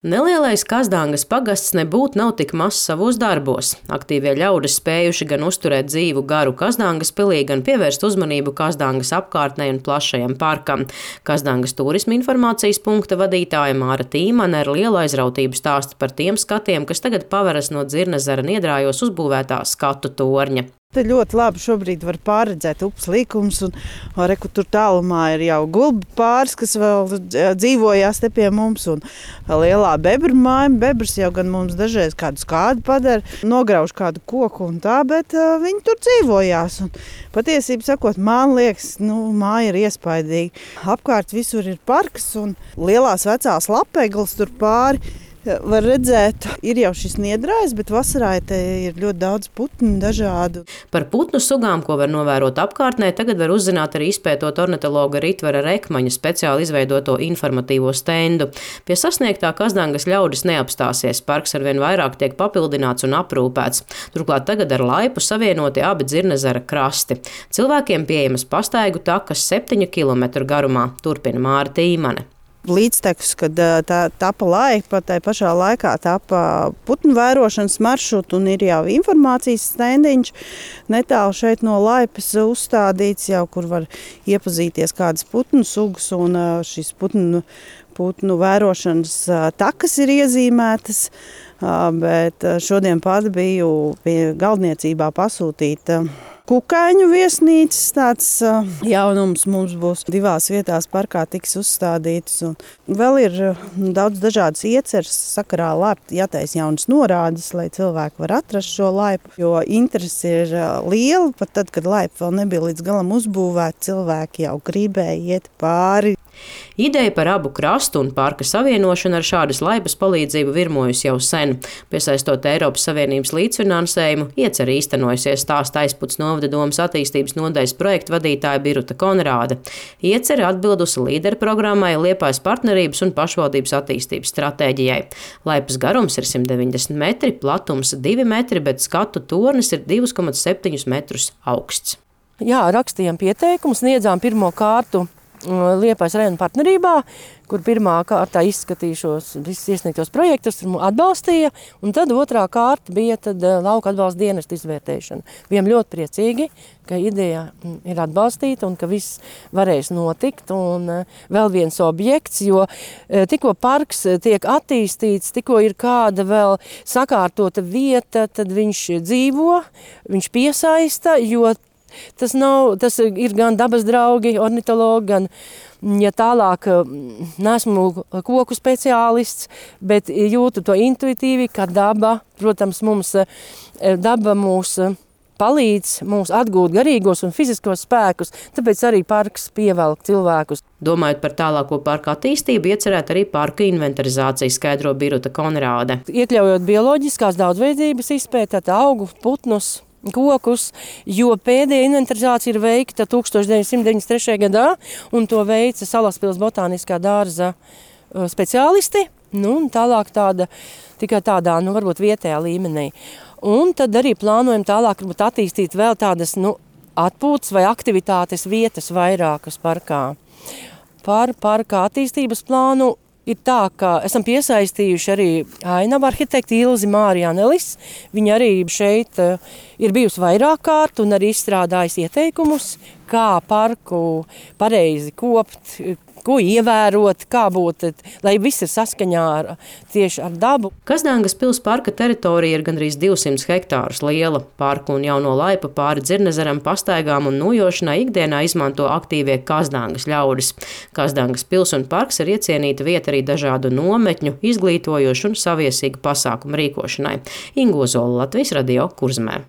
Nelielais Kazdangas pagasts nebūtu nav tik mazs savos darbos. Aktīvie ļaudis spējuši gan uzturēt dzīvu garu Kazdangas pilī, gan pievērst uzmanību Kazdangas apkārtnei un plašajam parkam. Kazdangas turisma informācijas punkta vadītāja Māra Tīmane ar lielu aizrautību stāsta par tiem skatiem, kas tagad paveras no Dzirnezera niedrājos uzbūvētā skatu torņa. Te ļoti labi šobrīd var pārredzēt upes līkumus, un reku tur tālumā ir jau gulbi pāris, kas vēl dzīvojās te pie mums, un lielā bebru māja. Bebrs jau gan mums dažreiz kādu skādi padara, nograuž kādu koku un tā, bet viņi tur dzīvojās. Un patiesību sakot, man liekas, māja ir iespaidīga. Apkārt visur ir parks un lielās vecās lapegles tur pāri. Var redzēt, ir jau šis niedrājs, bet vasarā te ir ļoti daudz putnu dažādu. Par putnu sugām, ko var novērot apkārtnē, tagad var uzzināt arī izpētot ornitologa Ritvera Rekmaņa speciāli izveidoto informatīvo stendu. Pie sasniegtā Kazdangas ļaudis neapstāsies, parks arvien vairāk tiek papildināts un aprūpēts. Turklāt tagad ar laipu savienoti abi Dzirnezera krasti. Cilvēkiem pieejamas pastaigu takas 7 kilometru garumā, turpina Māra Tīmane. Līdztekus, kad tā tapa laipa, tai pašā laikā tapa putnu vērošanas maršrutu un ir jau informācijas stendiņš netālu šeit no laipas uzstādīts, jau kur var iepazīties kādas putnu sugas, un šis putnu vērošanas takas ir iezīmētas, bet šodien pat biju pie galdniecībā pasūtīta kukaiņu viesnīcas. Tāds jaunums mums būs 2 vietās parkā tiks uzstādītas. Un vēl ir daudz dažādas ieceres sakarā laipu jātaisa jaunas norādes, lai cilvēki var atrast šo laipu, jo interese ir liela. Pat tad, kad laipa vēl nebija līdz galam uzbūvēta, cilvēki jau gribēja iet pāri. Ideja par abu krastu un parka savienošanu ar šādas laipas palīdzību virmojusi jau sen. Piesaistot Eiropas Savienības līdzfinansējumu, iecer īstenojusies, stāsta Aizputs novada domas attīstības nodaļas projektu vadītāja Biruta Konrāde. Iecer atbildusi līderu programmai Liepājas partnerības un pašvaldības attīstības stratēģijai. Laipas garums ir 190 metri, platums 2 metri, bet skatu tornis ir 2,7 metrus augsts. Jā, rakstījām pieteikumu, sniedzām pirmo kārtu Liepājas rajona partnerībā, kur pirmā kārtā izskatīšos visus iesniegtos projektus, atbalstīja, un tad otrā kārta bija lauka atbalsta dienesta izvērtēšana. Bijām ļoti priecīgi, ka ideja ir atbalstīta un ka viss varēs notikt. Un vēl viens objekts, jo tikko parks tiek attīstīts, tikko ir kāda vēl sakārtota vieta, tad viņš dzīvo, viņš piesaista, jo tas ir gan dabas draugi, ornitologi, gan, ja tālāk, neesmu koku speciālists, bet jūtu to intuitīvi, ka daba, protams, daba mūs palīdz mums atgūt garīgos un fiziskos spēkus, tāpēc arī parks pievelk cilvēkus. Domājot par tālāko parka attīstību, iecerēt arī parka inventarizāciju, skaidro Biruta Konrāde. Iekļaujot bioloģiskās daudzveidības izpētē, augu, putnus, kokus, jo pēdējā inventarizācija ir veikta 1993. gadā, un to veica Salaspils botāniskā dārza speciālisti, un tālāk tikai tādā, varbūt vietējā līmenī. Un tad arī plānojam tālāk attīstīt vēl tādas, atpūtas vai aktivitātes vietas vairākas parkā. Par parka attīstības plānu ir tā, ka esam piesaistījuši arī ainavu arhitekti Ilzi Mārijānelis. Viņa arī šeit ir bijusi vairāk kārt un arī izstrādājusi ieteikumus, kā parku pareizi kopt, ko ievērot, kā būt, lai viss ir saskaņā tieši ar dabu. Kazdangas pils parka teritorija ir gandrīz 200 hektārus liela. Parku un jauno laipu pāri Dzirnezeram pastaigām un nojošanai ikdienā izmanto aktīvie Kazdangas ļaudis. Kazdangas pils un parks ir iecienīta vieta arī dažādu nometņu, izglītojošu un saviesīgu pasākumu rīkošanai. Inga Ozola, Latvijas radio, Kurzemē.